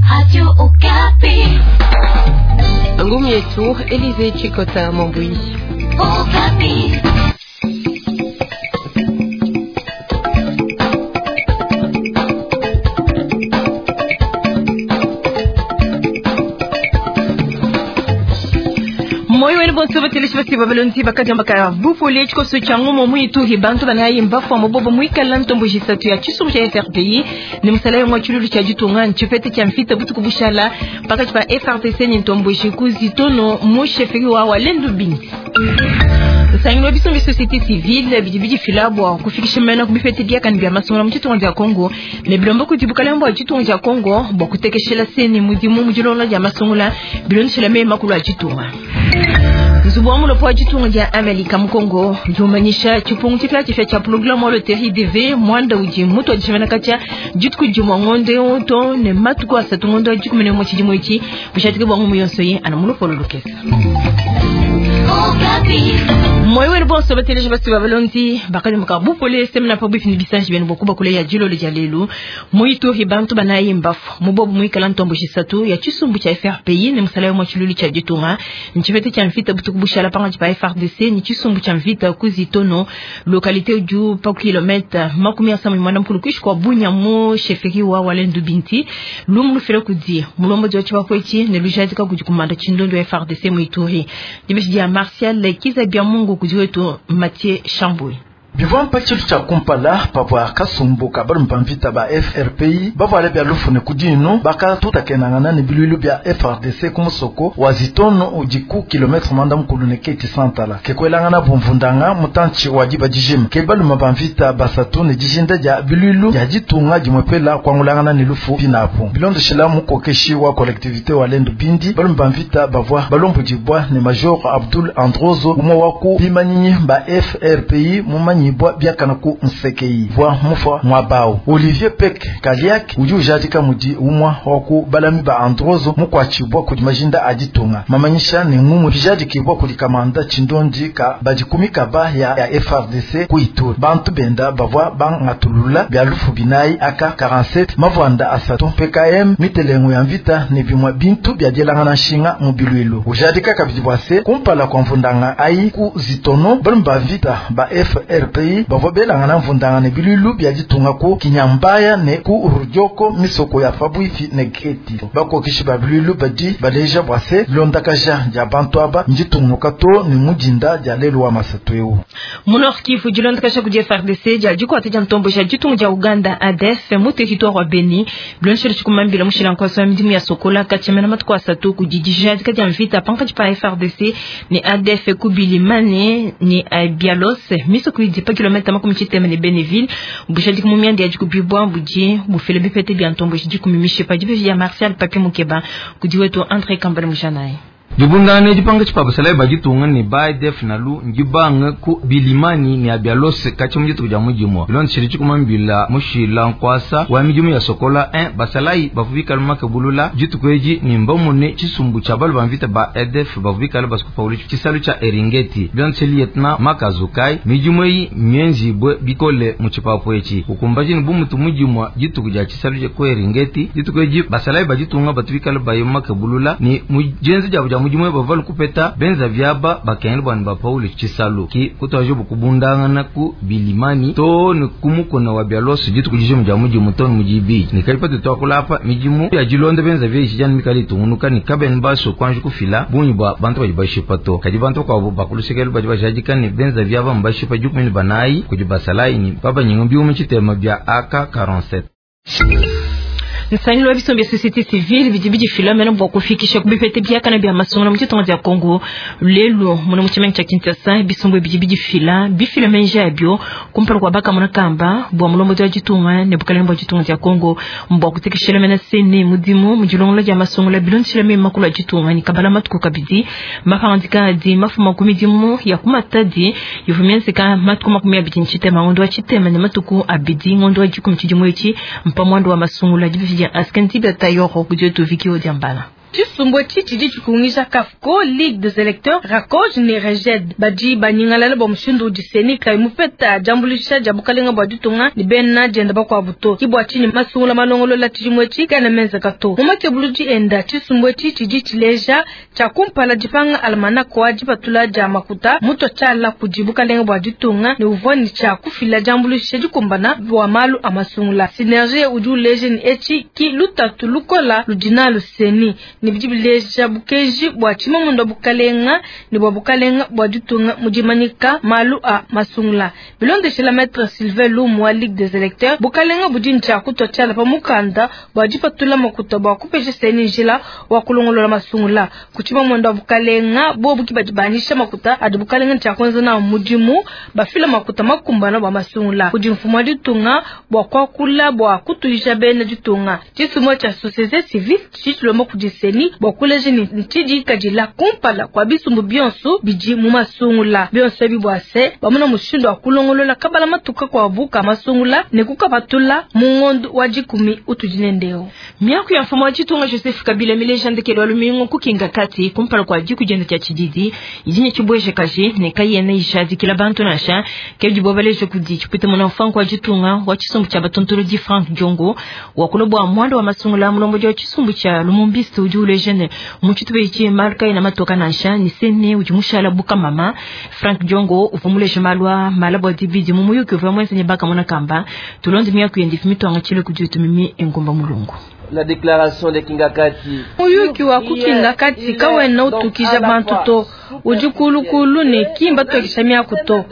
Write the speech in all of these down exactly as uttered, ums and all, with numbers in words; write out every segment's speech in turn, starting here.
Radio Okapi. Ngumu yetu Elize Chikota Mambui. Okapi. Moyo wenu bonso bateleshi basi babalonzi bakadi mbaka bupole tshikoso tshia ngumu muituhi bantu banayi mbafua mubobo muikala ntombo jisatu ya tshisumbu tshia F R P I ne musala yomwe tshilulu tshia ditunga ntshipete tshia mvita butuku bushala pakati pa F R T C ne ntombo jikuzi tono mu chefferie wa Walendu Binti. Sangilo biso bi société civile bidi bidi fila bwa kufikisha mena kubifete bia kan bia masomo mu tshitunga dia Congo ne bilombo kuti bukalembo bwa tshitunga dia Congo bwa kutekeshela seni mudimu mu dilonga dia masongola bilondeshela mema kulwa tshitunga. Nzubu wa mulopo wa tshitunga dia Amerika mu Congo jumanyisha tshipungu tshipia tshifia tshia programme wa loterie D V mwanda udi mutu wa dishimana katshia dituku dimue ngonde oto ne matuku asatu ngonde wa dikumi ne umue tshidimu etshi bushatike bwa ngumu yonso ye ana mulopo lolokesa. Moyo wenu bonso bateleje basi babalonzi bakali mukabupole semna pa bwifini bisanji benu bokuba kule ya jilolo dia lelu muituhi bantu banayi mbafu mubobu muikala ntombo jisatu ya tshisumbu tshia F R P I ne musala wa tshilulu tshia ditunga ntshipete tshia mvita butuku bushala panga pa F R D C ni tshisumbu tshia mvita kuzitono localité du pa kilomètre makumi asanu mwana mkulu kuishi kwa Bunya mu chefferie wa Walendu Binti lumu lufela kudi mulombo dyo tshibakwechi ne lujadika kudi kumanda tshindondo ya F R D C muituhi dibeshi dia Martial Kizabia Mungu kudiwetu Mathieu Chambouy. Bivampa tshilu tshia kumpala pavua kasumbu ka balume ba mvita ba F R P I bavuale bia lufune ku dinu bakatutakenangana ne biluilu bia F R D C ku musoko wa Zitono udi ku kilometre mwanda mukulu ne keti santala ke kuelangana bumvundanga mutantshi wa diba dijima ke balume ba mvita basatu ne dijinda dia biluilu dia ditunga dimwepela kuangulangana ne lufu pinapo bilondeshela mukokeshi wa collectivité wa Lendu Bindi balume ba mvita bavua balombudibwa ne Major Abdul Androzo umwe wa ku bimanyinyi ba F R P I mumanyi bwa biakana ku nsekei bwa mufa mwabao Olivier Pek Kaliak udi ujadika mudi umwa wa ku balami ba Androzo mukwachibwa kudi majinda aditunga mamanyisha ne ngumu bijadikibwa kudi kamanda chindondi ka badikumika ba ya, ya F R D C kuitur bantu benda bavwa bangatulula bya lufu binai aka quarante-sept mavwanda asatu P K M mitelengo ya mvita ne bimwa bintu bya dielangana nshinga mu bilwilo ujadika kabidi bwase kumpala kwa mvundanga ai ku zitono balumba vita ba F R P I bavwa belangana mvundanga ne bilulu bya ditunga ku kinyambaya ne ku rujoko misoko ya Fabwifi ne Geti bakokishi ba bilulu badi baleja bwase londakaja dia bantu aba nditunguka to ne mudinda dia lelo wa masatu eu Munor Kivu dilondakaja ku F R D C dia dikwata dia ntombo ja ditunga dia Uganda A D F mu territoire wa Beni bilonshela tshikumambila mushila nkwasa midimu ya Sokola katshemena matuku asatu ku didija dika dia mvita pankatshi pa F R D C ne A D F ku Bilimane ne Bialos misoko idi pa kilomètre makumi tshitema ne Beneville bushadi kumumyandi ya dikubibwa budi bufele bipete bia ntombo jikumimishe pa dibe ya Martial Papi Mukeba kudi wetu André Kambale Mujanaye. Dibundane dipanga tshipabasala bajitunga ne ba def nalu ngibanga ku Bilimani ne Abialose kachi mujitu kuja mujimwa bilon shiri chikumambila mushila nkwasa wa mijimu ya Sokola un basalai bavubika lumakebulula jitukweji ni mbamune chisumbu cha balu bamvita ba E D F bavubika basikupauli chisalu cha Eringeti bilon lietna makazukai mijimu yi mienzi bwe bikole muchipapo echi ukumbaji ni bumutu mujimwa jitukuja chisalu cha ku Eringeti jitukweji basalai bajitunga batubika bayimakebulula ni mujenzi jabu ja mujimwe bavalu kupeta benza vyaba bakende bwana ba Paul Chisalu ki kutaje bukubundangana ku Bilimani to ni kumukona wa Bialosu jitu kujije muja mujimu to mujibi ni kalipate twakulapa mijimu ya jilonde benza vye jijani mikali tungunuka ni kaben baso kwanju kufila bunyi bwa bantu bajibashipa to kadi bantu kwa bakulusekelu bajibashajika ni benza vyaba mbashipa jukumini banai kujibasalai ni baba nyingumbi umechitema bya A K quarante-sept. Nsangilo wa bisombi ya société civile bidi bidi filamena bwa kufikisha kubipete biakana bia masomo mu tshitonga dia Congo lelo muno mu tshimenga tsha Kinshasa bisombi bidi bidi fila bifilamenja yabyo kumpala kwa baka munakamba bwa mulombo wa ditunga ne bukalenge bwa ditunga dia Congo mbwa kutekeshela mena sene mudimu mu dilongola dia masomo la bilondishela me makulu a ditunga ni kabala matuku kabidi mapangandika adi mafuma ku midimu ya kumatadi ivumienzeka matuku makumi abidi ntshitema ngondo wa tshitema ne matuku abidi ngondo wa dikumi tshidimu etshi mpamwando wa masungula dibi ya askanti bata yoro kudioto vikio diambala. Tshisumbu etshi tshidi tshikungisha CAFCO, Ligue des électeurs, RACOJ ne REGED. Badi banyingalala bua mushindu udi CENI kayi mupeta diambuluisha dia bukalenga bua ditunga ne bena dienda bakuabu to. Ke bua tshinyi masungula malongolola tshidimu etshi kaena menzeka to. Mu makebuludi enda, tshisumbu etshi tshidi tshileja tshia kumpala dipanga almanach wa dipatula dia makuta mutua tshiala kudi bukalenga bua ditunga ne uvua ne tshia kufila diambuluisha dikumbana bua malu a masungula. Synergie udi uleja ne etshi ki lutatu lukola ludi nalu CENI ne bidi bileja bukenji bua tshimamunda bukalenga ne bua bukalenga bua ditunga mu dimanyika malu a masungula. Bilondeshela Maître Sylvain Lumu wa Ligue des électeurs, bukalenga budi ne tshia kutua tshiala pa mukanda bua dipatula makuta bua kupesha CENI njila wa kulongolola masungula. Ku tshimamunda bukalenga bobu ki badi banyisha makuta adi bukalenga ne tshia kuenza nawu mudimu, bafila makuta makumbana bua masungula. Kudi mfumu wa ditunga bua kuakula bua kutuisha bena ditunga. Tshisumbu tshia société civile tshidi tshilomba kudi CENI bua kuleja ne tshidi kadila kumpala kua bisumbu bionso bidi mu masungula. Bionso ebi bua se bamona mushindu wa kulongolola kabala matuka kuabu ka masungula ne kukapatula mu ngondo wa dikumi utudi nendeo. Miaku ya mfumu wa ditunga Joseph Kabila mileja ndekelo wa lumingu kukinga kati kumpala kua diku dienda dia tshididi idi ne tshibweje kaji ne kayena ishadikila bantu nansha ke dibo baleje kudi tshipite muna mfanku wa ditunga wa tshisumbu tshia batontolodi Frank Diongo wakula bua mwanda wa masungula mulombo wa tshisumbu tshia Lumumbiste udi uleja ne mu tshitupa etshi malu kayena matoka nansha ne sene udi mushala bukamama. Frank Diongo uvua muleje malu a mala bua dibidi mu muyuki uvua muenze ne bakamona kamba tulonde miaku yende mitwanga tshile kudi tumimi engomba mulungu. La déclaration de Kingakati. Muyuki wa kuKingakati kawena utukija bantu to udi kulukulu ne kimba twakisha miaku to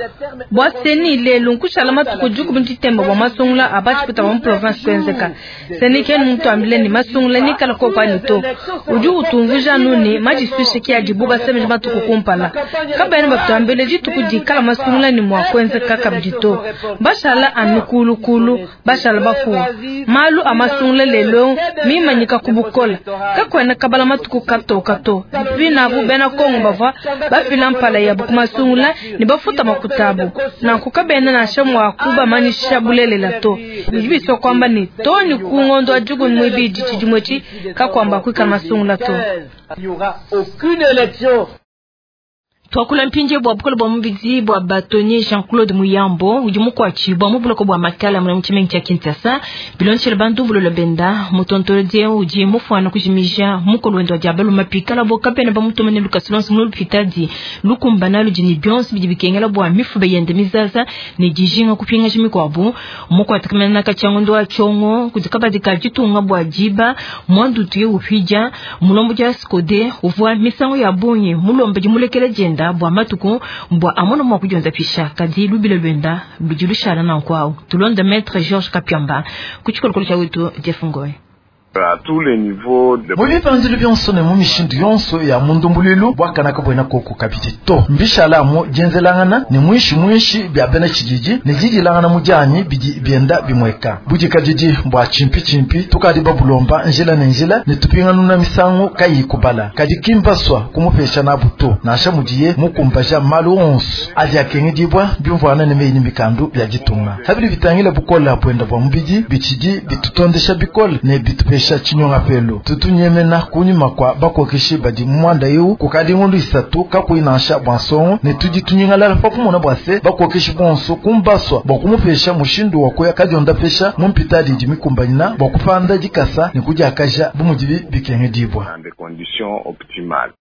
bua CENI lelu nkushala matuku dikumi ditemba bua masungula a batshipita ba mu province kuenzeka. CENI kenu mutuambile ne masungula nikala kokwani to udi utumvuija anu ne madisuishe ki adibu basemeja matuku kumpala. Kabena batuambile dituku dikala masungula ne mua kuenzeka kabidi to. Bashala anu kulukulu bashala bafuwa malu a masungula lelo mimanyika kubukola kakwena kabala matuku katoka to binabu bena Kongo bavua bafila mpala yabu kumasungula ne bafuta makutabu nanku kabena nansha mua kubamanyisha bulelela to. Bidi bisua kwamba ne toni ku ngondo wa dikumi muibidi tshidimu etshi kakwamba kuikala masungula to. Il n'y aura aucune élection. Twakula mpinje bua bukole bua mubidi bua bâtonnier Jean-Claude Muyambo udi mukuatshi bua mubuloko bua makala muna mutshimengi tshia Kinshasa bilonshele bantu bulola benda mutontolodi udi mufuana kujimija mukolo wendo wa diabalo mapikala bo kapena bamutomene lukasulonso mu lupitadi lukumbana ludi ne bionso bidi bikengela bua mifube yende mizaza ne dijinga kupingaja mikuabu mukuatakamena katshia wa tshongo kudi kabadi ka ditunga bua diba mwandutu ye upija mulombo dia skode uvua misango ya bungi mulombe dimulekela dienda bua matuku bua amona mwa kudionza pisha kadi lubile lwenda ludi lushala na nkwao. Tulonde Maître Georges Kapiamba ku tshikolokolo tshia wetu Jeff Ngoy. À tous les niveaux de mu bipandilu bionso ne mu mishindu yonso ya mundumbuluilu bwakanaka bwena koko kabidi to mbishala mu dienzelangana ne mwishi mwishi bya bena tshididi ne didilangana mu dianyi bidi bienda bimweka budikadidi bua tshimpi tshimpi tukadi babulomba njila ne njila ne tupinganuna misangu kayi kubala kadi kimbaswa kumupesha nabu to nansha mudiye mukumbaja malu onso adi akengedibwa bimvwana ne meyi ne mikandu bya ditunga habili bitangila bukola bwenda bwa mubidi bitshidi bitutondesha bikole ne bitupesha chinyonga pelo tutunyemena kunyima kwa bakokeshi badi mwanda eu kukadi ngundu isatu kakuinansha bwa nsongo ne tudi tunyingalala pa kumona bwa se bakokeshi bonso kumbaswa bwa kumupesha mushindu wa kuya kadionda pesha mumpitadi di mikumbanyina bwa kupanda dikasa ne kudiakaja bumudibi bikengedibwa dans des conditions optimales.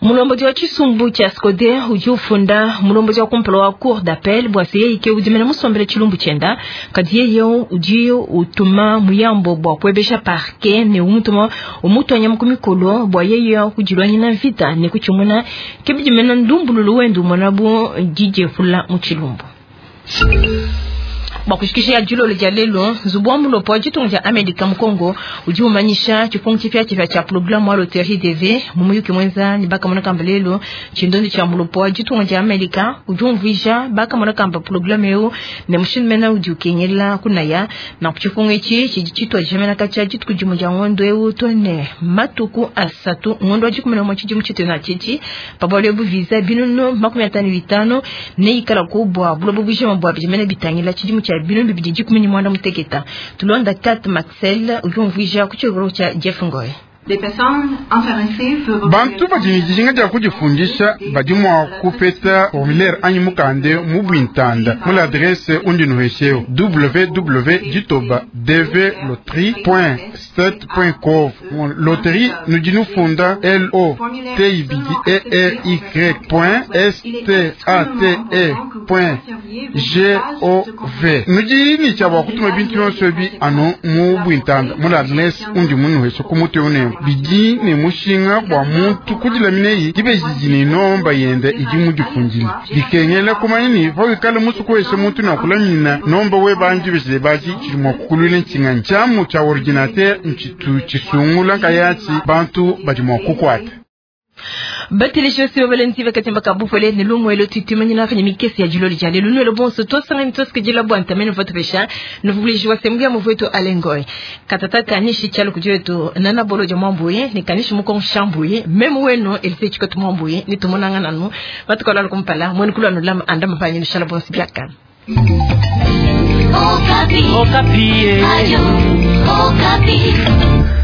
Mulomboji wa tshisumbu tshia Skode udi ufunda mulomboji wa kumpala wa cour d'appel bua se yeye ke udi mena musombele tshilumbu tshienda kadi yeye udi utuma muyambo bua kuebesha parquet ne umutuma umutwanya mu kumikolo bua yeye kujilwanyina mvita ne kuchimuna ke bidi mena ndumbululu wendu umona bu D J fula mu tshilumbu. Bua kushikisha ya dilolo dia lelo nzubu wa mulopo wa ditunga dia Amerika mu Congo udi umanyisha tshipungu tshipiatshipia tshia programme wa loterie T V mu muyuki mwenza ne bakamona kamba lelo tshindondi tshia mulopo wa ditunga dia Amerika udi umvuija bakamona kamba programme eu ne mushindu mena udi ukengela kunaya na tshipungu etshi tshidi tshitwa jemena katshia dituku dimue dia ngondo eu to ne matuku asatu ngondo wa dikumi na umue tshidimu tshitu na tshitshi pabwalo ebu visa binunu makumi atanu bitanu ne ikala kubwa bulobo bujima bua bidi bitangila tshidimu tshia binu bibidi dikumi ne mwanda muteketa. Tulonda Kat Maxel udi umvuija ku tshikolo tshia Jeff Ngoy. Bantu badi ne dijinga dia kudifundisha badi mua kupeta formulaire anyi mukande mu bwintanda mu l'adresse undi nuhesheo w w w ditoba d v loterie point sept point gov. Loterie nudi nufunda l o t i b d e r y point s t a t e point g o v. Nudi ni tshia bua kutuma bintu yonso bi anu mu bwintanda mu l'adresse undi munuheshe ku mutwe une bidi ne mushinga bua muntu kudilaminei dibejiji ne nomba yende idi mudifundile dikengela kumanya ni pawikale musuku wese muntu nakulamina nomba we banji besile baji tshidi mua kukulwila ntshinganyi tshiamu tshia ordinateur ntshitu tshisungula nkayatshi bantu badi mua kukwata. Bateleshiosi babalenzi bakatemba kabupole ne lumwelo tutumanyina kwenye mikesi ya juloli jale lunwelo bonso tosanga nitoske jila bwanta meno votu pesha nuvulijiwa sehemu ya mvueto alengoi katatata nishi chalo kujetu nana bolo ja mwambuye ni kanishi muko shambuye memu weno elise chikotu mwambuye ni tumonanga nanu batukola kumpala mwenu kulwa nulama andama panyi nishala bonso biaka. Okapi. Okapi. Ayo, Okapi.